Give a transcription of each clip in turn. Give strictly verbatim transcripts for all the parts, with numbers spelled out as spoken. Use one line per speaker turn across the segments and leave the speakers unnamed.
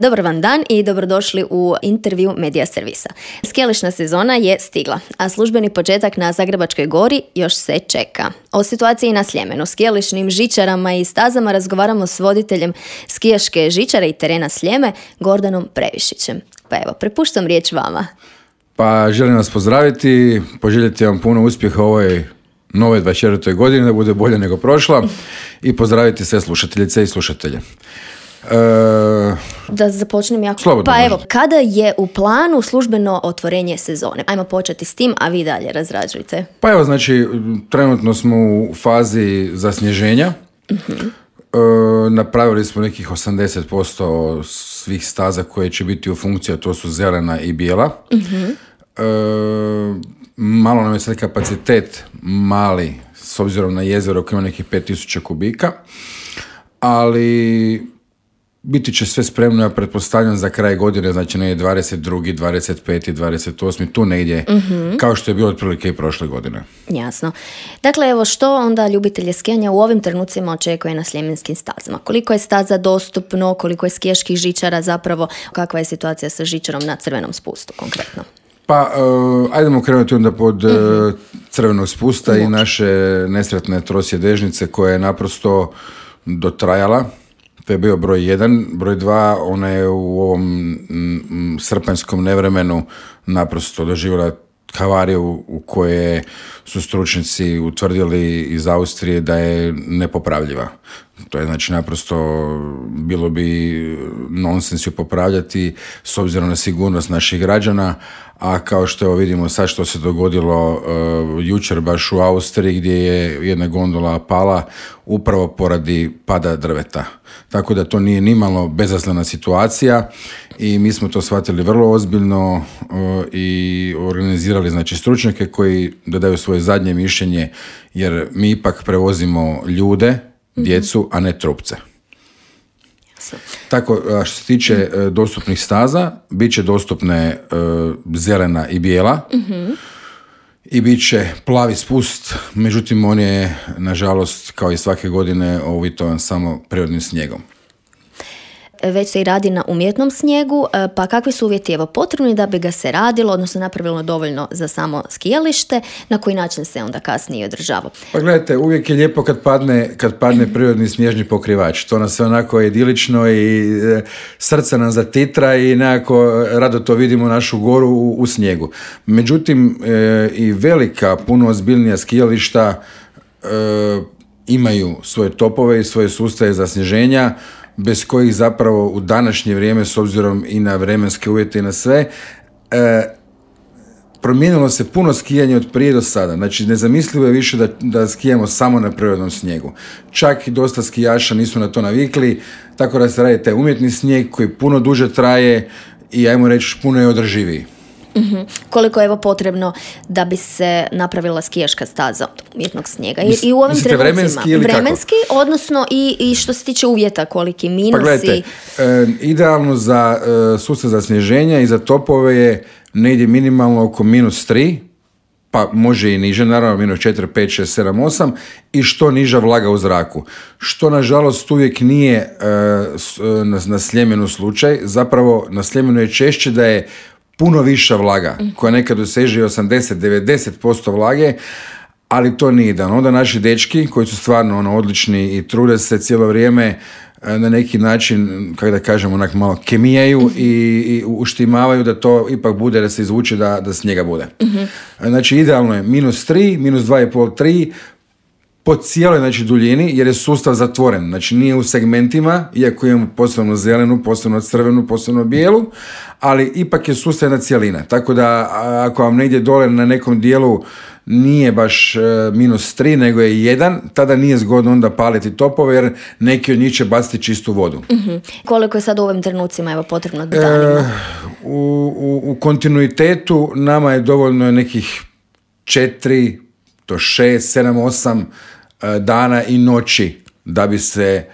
Dobar vam dan i dobrodošli u intervju Medija servisa. Skijališna sezona je stigla, a službeni početak na Zagrebačkoj gori još se čeka. O situaciji na Sljemenu, skijališnim žičarama i stazama razgovaramo s voditeljem skijaške žičare i terena Sljeme, Gordanom Previšićem. Pa evo, prepuštam riječ vama.
Pa želim vas pozdraviti, poželjeti vam puno uspjeha u ovoj nove dvadeset četvrtoj godini, da bude bolje nego prošla, i pozdraviti sve slušateljice i slušatelje. E...
Da započnem jako.
Slobodno
pa
može.
Evo, kada je u planu službeno otvorenje sezone? Ajmo početi s tim, a vi dalje razrađujte.
Pa evo, znači, trenutno smo u fazi zasnježenja. Uh-huh. E, napravili smo nekih osamdeset posto svih staza koje će biti u funkciji, a to su zelena i bijela. Uh-huh. E, malo nam je sad kapacitet mali, s obzirom na jezero koje ima nekih pet tisuća kubika, ali biti će sve spremno, ja pretpostavljam, za kraj godine, znači negdje dvadeset drugi, dvadeset peti, dvadeset osmi, tu negdje, mm-hmm. kao što je bilo otprilike i prošle godine.
Jasno. Dakle, evo, što onda ljubitelje skijanja u ovim trenucima očekuje na sljemenskim stazama? Koliko je staza dostupno, koliko je skijaških žičara zapravo, kakva je situacija sa žičarom na Crvenom spustu konkretno?
Pa, uh, ajdemo krenuti onda pod uh, mm-hmm. Crvenog spusta Moći. I naše nesretne trosjedežnice koja je naprosto dotrajala. To je bio broj jedan. Broj dva, ona je u ovom m, srpanjskom nevremenu naprosto doživjela havariju u kojoj su stručnjaci utvrdili iz Austrije da je nepopravljiva. To je znači naprosto bilo bi nonsens ju popravljati s obzirom na sigurnost naših građana, a kao što evo vidimo sad što se dogodilo uh, jučer baš u Austriji gdje je jedna gondola pala upravo poradi pada drveta. Tako da to nije nimalo bezazlena situacija i mi smo to shvatili vrlo ozbiljno uh, i organizirali znači stručnjake koji dodaju svoje zadnje mišljenje, jer mi ipak prevozimo ljude, djecu, a ne trupce. Tako, što se tiče uh, dostupnih staza, bit će dostupne uh, zelena i bijela, mm-hmm. i bit će plavi spust, međutim on je, nažalost, kao i svake godine, uvjetovan samo prirodnim snijegom.
Već se i radi na umjetnom snijegu, pa kakvi su uvjeti evo potrebni da bi ga se radilo, odnosno napravilo dovoljno za samo skijalište, na koji način se onda kasnije održava?
Pa gledajte, uvijek je lijepo kad padne, kad padne prirodni snježni pokrivač. To nas sve onako idilično i e, srce nam zatitra i nekako rado to vidimo našu goru u, u snijegu. Međutim, e, i velika, puno ozbiljnija skijališta e, imaju svoje topove i svoje sustave za snježenja, bez kojih zapravo u današnje vrijeme, s obzirom i na vremenske uvjete i na sve, e, promijenilo se puno skijanje od prije do sada. Znači, nezamislivo je više da, da skijamo samo na prirodnom snijegu. Čak i dosta skijaša nisu na to navikli, tako da se radi taj umjetni snijeg koji puno duže traje i, ajmo reći, puno je održiviji.
Mm-hmm. Koliko je evo potrebno da bi se napravila skijaška staza od umjetnog snijega? I, i u ovim
Mislite vremenski ili
vremenski, kako? Odnosno i, i što se tiče uvjeta, koliki minusi?
Pa gledajte, e, idealno za e, sustav za snježenja i za topove je negdje minimalno oko minus tri, pa može i niže, naravno minus četiri, pet, šest, sedam, osam, i što niža vlaga u zraku. Što nažalost uvijek nije e, na, na Sljemenu slučaj, zapravo na Sljemenu je češće da je puno viša vlaga, koja nekad doseže osamdeset do devedeset posto vlage, ali to nije dan. Onda naši dečki, koji su stvarno ono, odlični i trude se cijelo vrijeme na neki način, kako da kažem, onak malo kemijaju i, i uštimavaju da to ipak bude, da se izvuče da, da snijega bude. Uh-huh. Znači, idealno je minus tri, minus dva i pol, tri, po cijeloj znači, duljini, jer je sustav zatvoren. Znači, nije u segmentima, iako imamo posebno zelenu, posebno crvenu, posebno bijelu, ali ipak je sustav jedna cijelina. Tako da, ako vam negdje dole na nekom dijelu nije baš e, minus tri, nego je jedan, tada nije zgodno onda paliti topove, jer neki od njih će baciti čistu vodu.
Mm-hmm. Koliko je sad u ovim trenucima evo, potrebno danima? E,
u, u, u kontinuitetu nama je dovoljno nekih četiri do šest, sedam, osam dana i noći da bi se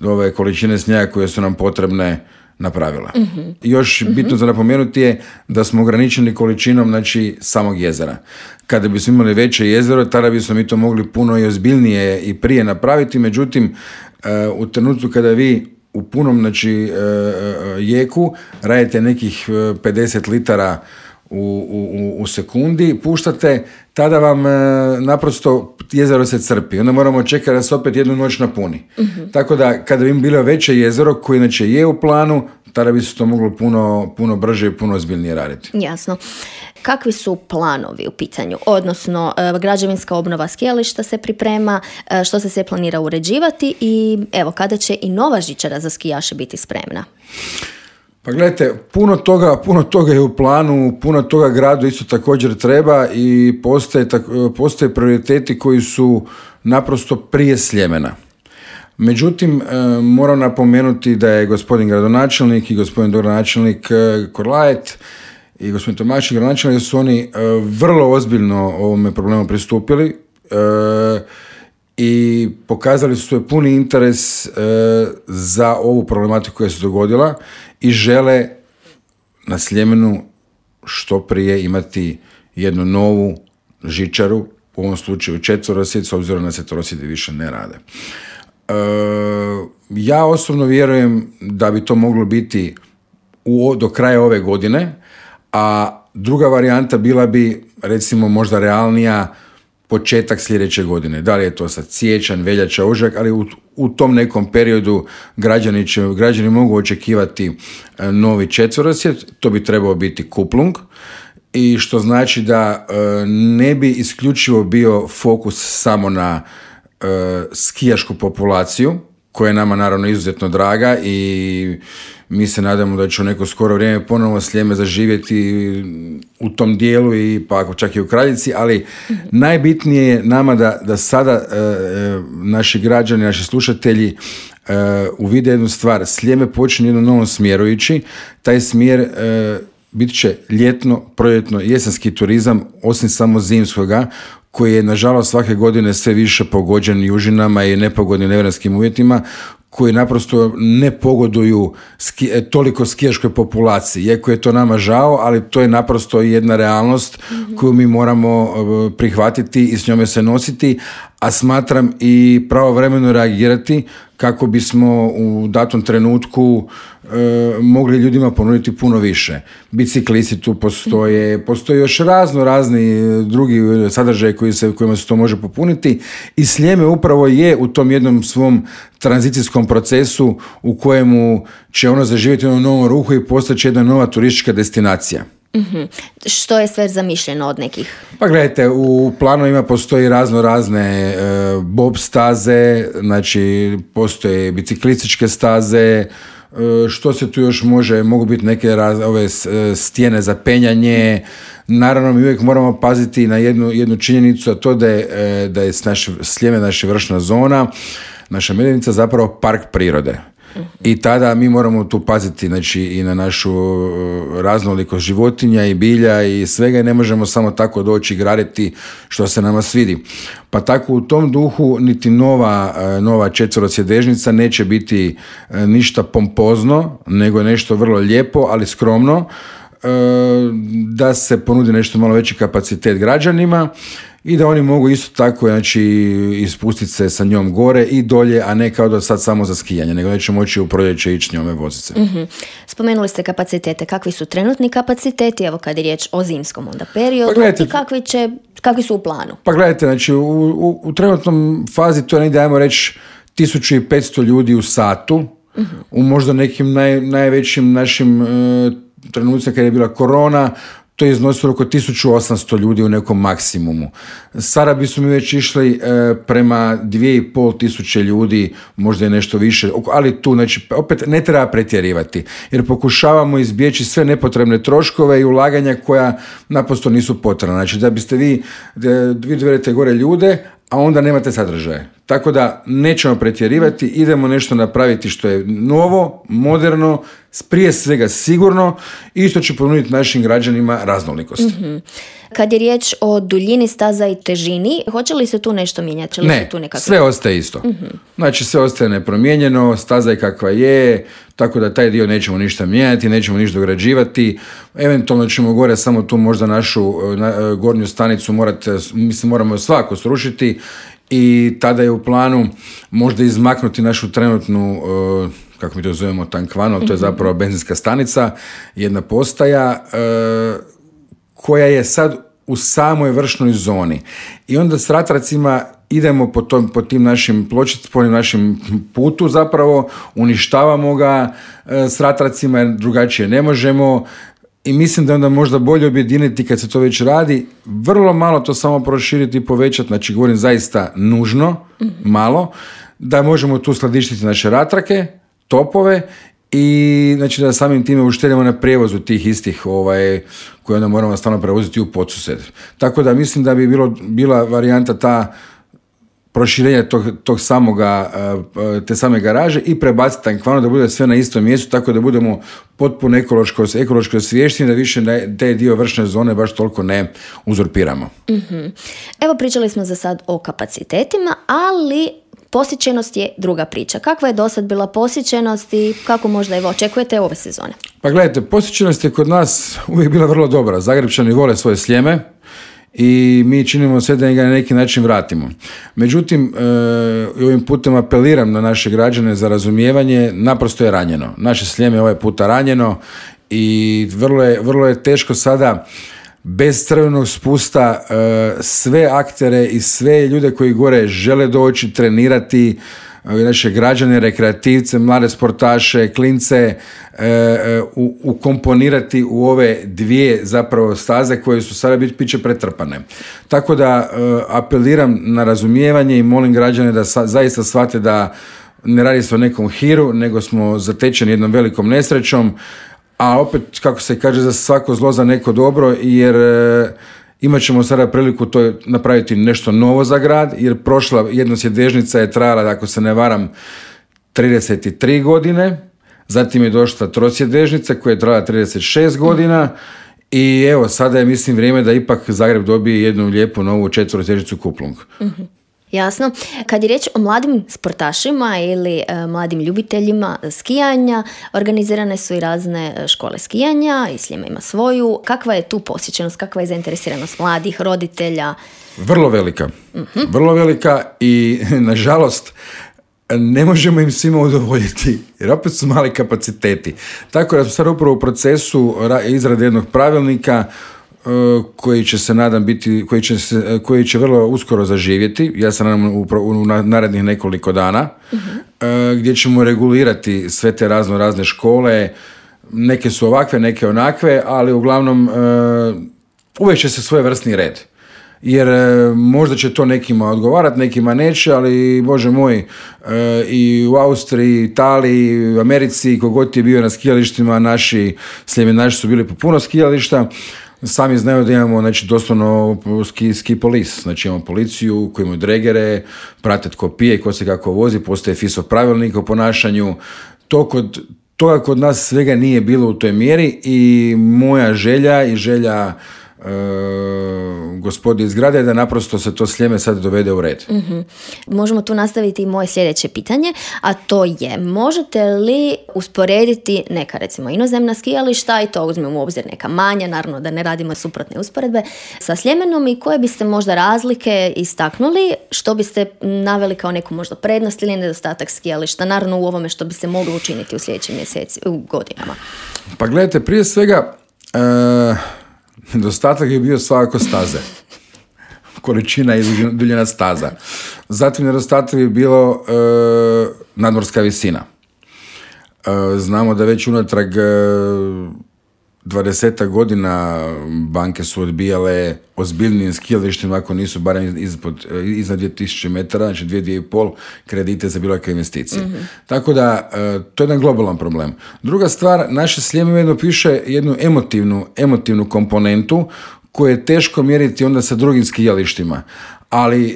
ove količine snijega koje su nam potrebne napravila. Mm-hmm. Još bitno mm-hmm. za napomenuti je da smo ograničeni količinom znači samog jezera. Kada bismo imali veće jezero, tada bismo mi to mogli puno i ozbiljnije i prije napraviti, međutim u trenutku kada vi u punom znači, jeku, radite nekih pedeset litara u, u, u sekundi, puštate, tada vam naprosto jezero se crpi. Onda moramo čekati da se opet jednu noć napuni. Mm-hmm. Tako da, kada bi bilo veće jezero, koje inače je u planu, tada bi se to moglo puno, puno brže i puno ozbiljnije raditi.
Jasno. Kakvi su planovi u pitanju? Odnosno, građevinska obnova skijališta se priprema, što se sve planira uređivati i evo, kada će i nova žičara za skijaše biti spremna?
Pa gledajte, puno toga, puno toga je u planu, puno toga gradu isto također treba i postoje, postoje prioriteti koji su naprosto prije Sljemena. Međutim, moram napomenuti da je gospodin gradonačelnik i gospodin dogradonačelnik Korlajet i gospodin Tomašik gradonačelnik, da su oni vrlo ozbiljno ovome problemu pristupili i pokazali su svoj puni interes za ovu problematiku koja se dogodila i žele na Sljemenu što prije imati jednu novu žičaru, u ovom slučaju četverosjed, s obzirom na četverosjedi više ne rade. E, ja osobno vjerujem da bi to moglo biti u, do kraja ove godine, a druga varijanta bila bi, recimo, možda realnija početak sljedeće godine. Da li je to sad siječanj, veljača, ožujak, ali u, u tom nekom periodu građani, će, građani mogu očekivati novi četverosjed, to bi trebao biti kuplung, i što znači da e, ne bi isključivo bio fokus samo na e, skijašku populaciju, koja je nama naravno izuzetno draga i mi se nadamo da će u neko skoro vrijeme ponovo Sljeme zaživjeti u tom dijelu i pa ako čak i u Kraljici, ali mm-hmm. najbitnije je nama da, da sada e, naši građani, naši slušatelji e, uvide jednu stvar. Sljeme počinje jednom novom smjeru ići. Taj smjer e, bit će ljetno, proljetno, jesenski turizam, osim samo zimskoga, koji je nažalost svake godine sve više pogođen južinama i nepogodnim nevremenskim uvjetima, koji naprosto ne pogoduju ski, toliko skijaškoj populaciji. Iako je to nama žao, ali to je naprosto jedna realnost mm-hmm. koju mi moramo prihvatiti i s njome se nositi, a smatram i pravovremeno reagirati kako bismo u datom trenutku e, mogli ljudima ponuditi puno više. Biciklisti tu postoje, postoje još razno razni drugi sadržaje koji se, kojima se to može popuniti i Sljeme upravo je u tom jednom svom tranzicijskom procesu u kojemu će ono zaživjeti u jednom novom ruhu i postaći jedna nova turistička destinacija.
Mm-hmm. Što je sve zamišljeno od nekih?
Pa gledajte, u planovima postoji razno razne e, bob staze, znači postoje biciklističke staze, e, što se tu još može, mogu biti neke raz, ove stijene za penjanje. Naravno, mi uvijek moramo paziti na jednu, jednu činjenicu, a to da je, e, da je naš, Sljeme naša vršna zona, naša Medvednica zapravo park prirode. I tada mi moramo tu paziti, znači, i na našu raznolikost životinja i bilja i svega i ne možemo samo tako doći i graditi što se nama svidi. Pa tako u tom duhu niti nova, nova četverosjedežnica neće biti ništa pompozno, nego nešto vrlo lijepo, ali skromno, da se ponudi nešto malo veći kapacitet građanima i da oni mogu isto tako, znači, ispustiti se sa njom gore i dolje, a ne kao da sad samo za skijanje, nego neće moći u proljeće ići njome voziti se.
Mm-hmm. Spomenuli ste kapacitete. Kakvi su trenutni kapaciteti, evo kad je riječ o zimskom onda periodu, pa i kakvi, će, kakvi su u planu? Pa
gledajte, znači u, u, u trenutnom fazi to je negdje, ajmo reći, tisuću petsto ljudi u satu, mm-hmm. u možda nekim naj, najvećim našim uh, trenucima kad je bila korona, to je iznosilo oko tisuću osamsto ljudi u nekom maksimumu. Sada bismo mi već išli e, prema dvije i pol tisuće ljudi, možda je nešto više, ali tu, znači, opet ne treba pretjerivati, jer pokušavamo izbjeći sve nepotrebne troškove i ulaganja koja naprosto nisu potrebna. Znači, da biste vi, da vi dovedete gore ljude, a onda nemate sadržaje. Tako da nećemo pretjerivati, idemo nešto napraviti što je novo, moderno, prije svega sigurno i isto će ponuditi našim građanima raznolikost.
Mm-hmm. Kad je riječ o duljini staza i težini, hoće li se tu nešto mijenjati?
Ne,
tu nekakve...
sve ostaje isto. Mm-hmm. Znači sve ostaje nepromijenjeno, staza je kakva je, tako da taj dio nećemo ništa mijenjati, nećemo ništa dograđivati. Eventualno ćemo gore samo tu možda našu na, gornju stanicu morati, mislim, moramo svako srušiti i tada je u planu možda izmaknuti našu trenutnu uh, kako mi to zovemo tankvano, to je zapravo benzinska stanica, jedna postaja e, koja je sad u samoj vršnoj zoni. I onda s ratracima idemo po, tom, po tim našim pločicama, po našim putu zapravo, uništavamo ga e, s ratracima jer drugačije ne možemo. I mislim da onda možda bolje objediniti kad se to već radi, vrlo malo to samo proširiti i povećati, znači govorim zaista nužno, malo, da možemo tu skladištiti naše ratrake, topove i znači da samim time uštedimo na prijevozu tih istih ovaj, koje onda moramo stalno prevoziti u podsused. Tako da mislim da bi bilo, bila varijanta ta proširenje tog, tog samoga, te same garaže i prebaciti tankvano da bude sve na istom mjestu, tako da budemo potpuno ekološko, ekološko osviješteni, da više ne, te dio vršne zone baš toliko ne uzurpiramo.
Mm-hmm. Evo, pričali smo za sad o kapacitetima, ali posjećenost je druga priča. Kakva je do sad bila posjećenost i kako možda evo očekujete ove sezone? Pa
gledajte, posjećenost je kod nas uvijek bila vrlo dobra. Zagrepčani vole svoje Sljeme i mi činimo sve da ga na neki način vratimo. Međutim, e, ovim putem apeliram na naše građane za razumijevanje, naprosto je ranjeno. Naše Sljeme je ovaj puta ranjeno i vrlo je, vrlo je teško sada bez crvenog spusta e, sve aktere i sve ljude koji gore žele doći, trenirati, naše građane, rekreativce, mlade sportaše, klince e, e, u, ukomponirati u ove dvije zapravo staze koje su sada bit, bit će pretrpane. Tako da e, apeliram na razumijevanje i molim građane da sa, zaista shvate da ne radi se o nekom hiru, nego smo zatečeni jednom velikom nesrećom, a opet, kako se kaže, za svako zlo za neko dobro, jer e, imat ćemo sada priliku to napraviti nešto novo za grad, jer prošla jednosjedežnica je trajala, ako se ne varam, trideset tri godine, zatim je došla trosjedežnica koja je trajala trideset šest godina i evo, sada je, mislim, vrijeme da ipak Zagreb dobije jednu lijepu novu četverosjedežnicu Kuplung.
Mm-hmm. Jasno. Kad je riječ o mladim sportašima ili e, mladim ljubiteljima skijanja, organizirane su i razne škole skijanja i Sljeme ima svoju. Kakva je tu posjećenost, kakva je zainteresiranost mladih, roditelja?
Vrlo velika. Mm-hmm. Vrlo velika i, nažalost, ne možemo im svima udovoljiti, jer opet su mali kapaciteti. Tako da smo sad upravo u procesu izrade jednog pravilnika koji će se nadam biti, koji će, se, koji će vrlo uskoro zaživjeti, ja se nadam u, u narednih nekoliko dana, uh-huh. gdje ćemo regulirati sve te razno razne škole, neke su ovakve, neke onakve, ali uglavnom uvijek će se svojevrsni red. Jer možda će to nekima odgovarati, nekima neće, ali Bože moj, i u Austriji, Italiji, u Americi, kogod je bio na skijalištima, naši sljemenaši su bili po puno skijališta. Sami znaju da imamo, znači, doslovno ski, ski polis, znači imamo policiju koji imaju dregere, prate tko pije, ko se kako vozi, postoje F I S O pravilnik o ponašanju. To kod, toga kod nas svega nije bilo u toj mjeri i moja želja i želja e, gospodi iz grada je da naprosto se to Sljeme sad dovede u red.
Mm-hmm. Možemo tu nastaviti i moje sljedeće pitanje, a to je, možete li usporediti neka, recimo, inozemna skijališta, i to uzmemo u obzir neka manja, naravno da ne radimo suprotne usporedbe, sa Sljemenom, i koje biste možda razlike istaknuli, što biste naveli kao neku možda prednost ili nedostatak skijališta, naravno u ovome što bi se moglo učiniti u sljedećim mjeseci, u godinama?
Pa gledajte, prije svega e... nedostatak je bio svakako staze. Količina i duljina staza. Zatim nedostatak je bilo e, nadmorska visina. E, znamo da već unatrag e, dvadesetak godina banke su odbijale ozbiljnim skijalištima ako nisu barem ispod, iznad dvije tisuće metara, znači dvije, dvije i pol kredite za bilo kakve investicije. Mm-hmm. Tako da, e, to je jedan globalan problem. Druga stvar, naše Sljeme jedno piše jednu emotivnu, emotivnu komponentu koju je teško mjeriti onda sa drugim skijalištima. Ali e,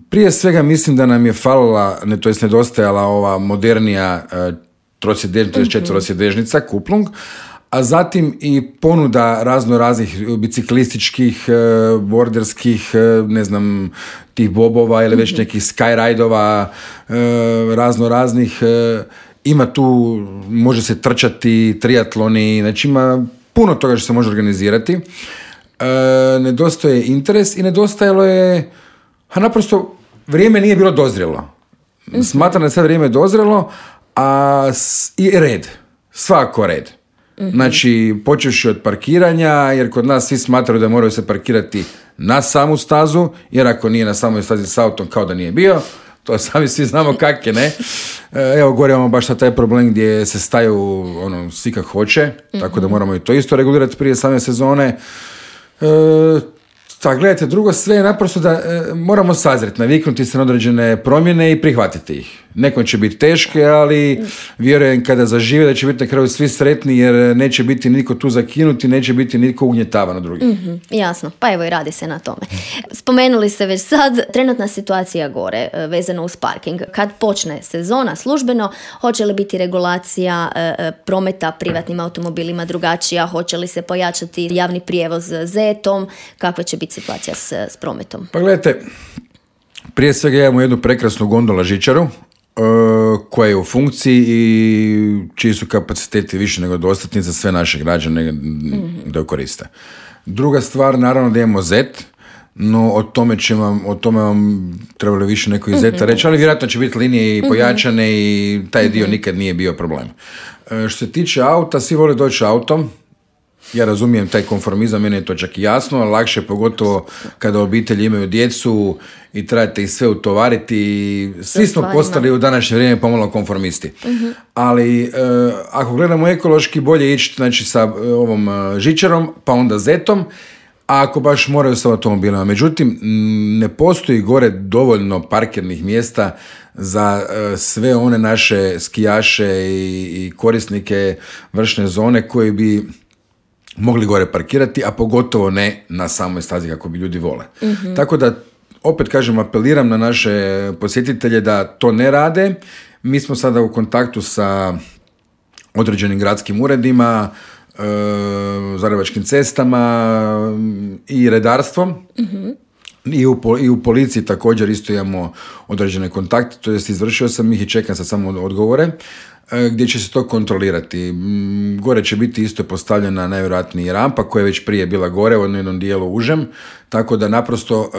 prije svega mislim da nam je falila, ne, to jest nedostajala ova modernija e, trosjedežnica, mm-hmm. četverosjedežnica, Kuplung, a zatim i ponuda razno raznih biciklističkih, borderskih, ne znam, tih bobova ili već nekih skyride-ova, razno raznih. Ima tu, može se trčati, triatloni, znači ima puno toga što se može organizirati. Nedostaje interes i nedostajalo je, a naprosto vrijeme nije bilo dozrelo. Smatram da je sad vrijeme dozrelo, a s, i red, svako red. Mm-hmm. Znači, počevši od parkiranja, jer kod nas svi smatraju da moraju se parkirati na samu stazu, jer ako nije na samoj stazi s autom, kao da nije bio. To sami svi znamo kak je, ne? Evo, gore imamo baš taj problem gdje se staju ono, svi kak hoće, mm-hmm. tako da moramo i to isto regulirati prije same sezone. E, tako, gledajte, drugo sve je naprosto da e, moramo sazreti, naviknuti se na određene promjene i prihvatiti ih. Nekom će biti teške, ali vjerujem kada zažive da će biti na kraju svi sretni, jer neće biti niko tu zakinuti, neće biti niko ugnjetavan od drugih.
Mm-hmm, jasno, pa evo i radi se na tome. Spomenuli ste već sad trenutna situacija gore vezano uz parking. Kad počne sezona službeno, hoće li biti regulacija e, prometa privatnim automobilima drugačija, hoće li se pojačati javni prijevoz zetom, kakva će biti situacija s, s prometom?
Pa gledajte, prije svega imamo jednu prekrasnu gondola žičaru, koja je u funkciji i čiji su kapaciteti više nego dostatni za sve naše građane mm-hmm. da ju koriste. Druga stvar, naravno da imamo zet, no o tome će vam, o tome vam trebalo više neko iz zeta mm-hmm. reći, ali vjerojatno će biti linije i pojačane mm-hmm. i taj dio mm-hmm. nikad nije bio problem. E, što se tiče auta, svi vole doći autom. Ja razumijem taj konformizam, meni je to čak i jasno, ali lakše pogotovo kada obitelji imaju djecu i trebate ih sve utovariti. Svi smo postali u današnje vrijeme pomalo konformisti. Uh-huh. Ali e, ako gledamo ekološki, bolje ići znači, sa e, ovom e, žičarom, pa onda zetom, a ako baš moraju sa automobilima. Međutim, ne postoji gore dovoljno parkirnih mjesta za e, sve one naše skijaše i, i korisnike vršne zone koji bi mogli gore parkirati, a pogotovo ne na samoj stazi kako bi ljudi vole. Mm-hmm. Tako da, opet kažem, apeliram na naše posjetitelje da to ne rade. Mi smo sada u kontaktu sa određenim gradskim uredima, e, zagrebačkim cestama i redarstvom. Mm-hmm. I u, i u policiji također isto imamo određene kontakte, to jest izvršio sam ih i čekam sad samo odgovore, gdje će se to kontrolirati. Gore će biti isto postavljena najvjerojatnije rampa koja je već prije bila gore u jednom dijelu užem, tako da naprosto e,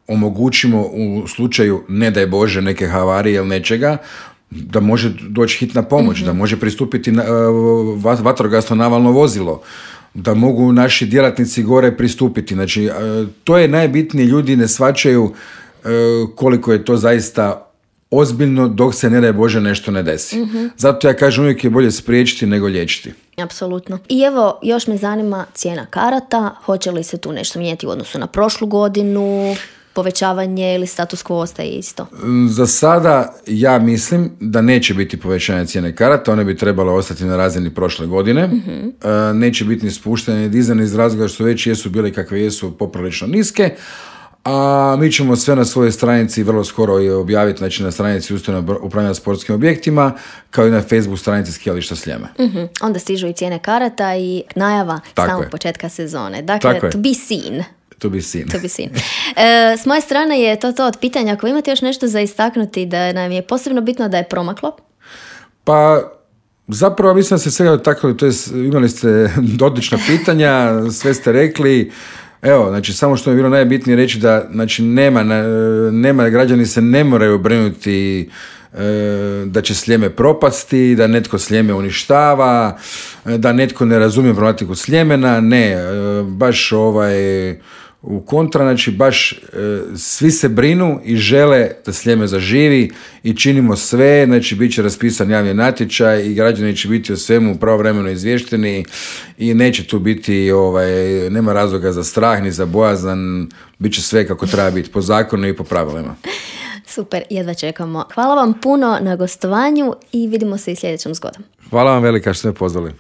omogućimo u slučaju, ne daj Bože, neke havarije ili nečega, da može doći hitna pomoć, mm-hmm. da može pristupiti na, e, vatrogasno navalno vozilo, da mogu naši djelatnici gore pristupiti. Znači, e, to je najbitnije, ljudi ne shvaćaju e, koliko je to zaista ozbiljno dok se ne daj Bože nešto ne desi. Mm-hmm. Zato ja kažem uvijek je bolje spriječiti nego liječiti.
Apsolutno. I evo, još me zanima cijena karata. Hoće li se tu nešto mijenjati u odnosu na prošlu godinu? Povećavanje ili status quo ostaje isto?
Za sada ja mislim da neće biti povećanje cijene karata, one bi trebale ostati na razini prošle godine. Mm-hmm. Neće biti ni spuštanje ni dizane iz razloga što već jesu bile kakve jesu poprilično niske, a mi ćemo sve na svojoj stranici vrlo skoro i objaviti, znači na stranici Ustanove upravljanja sportskim objektima, kao i na Facebook stranici Skijališta Sljeme.
Mm-hmm. Onda stižu i cijene karata i najava Tako samog je. početka sezone. Dakle, Tako to be seen.
To be seen.
To be seen. E, s moje strane je to to od pitanja. Ako imate još nešto za istaknuti da nam je posebno bitno da je promaklo?
Pa, zapravo mislim da se svega dotaknuli, to je, imali ste odlična pitanja, sve ste rekli. Evo, znači, samo što mi je bilo najbitnije reći da, znači, nema, nema, građani se ne moraju brinuti e, da će Sljeme propasti, da netko Sljeme uništava, da netko ne razumije problematiku Sljemena, ne, e, baš ovaj, u kontra, znači, baš e, svi se brinu i žele da Sljeme zaživi i činimo sve, znači, bit će raspisan javni natječaj i građani će biti o svemu pravovremeno izvješteni i neće tu biti, ovaj, nema razloga za strah ni za bojazan, bit će sve kako treba biti, po zakonu i po pravilima.
Super, jedva čekamo. Hvala vam puno na gostovanju i vidimo se i sljedećom zgodom.
Hvala vam velika što ste me pozvali.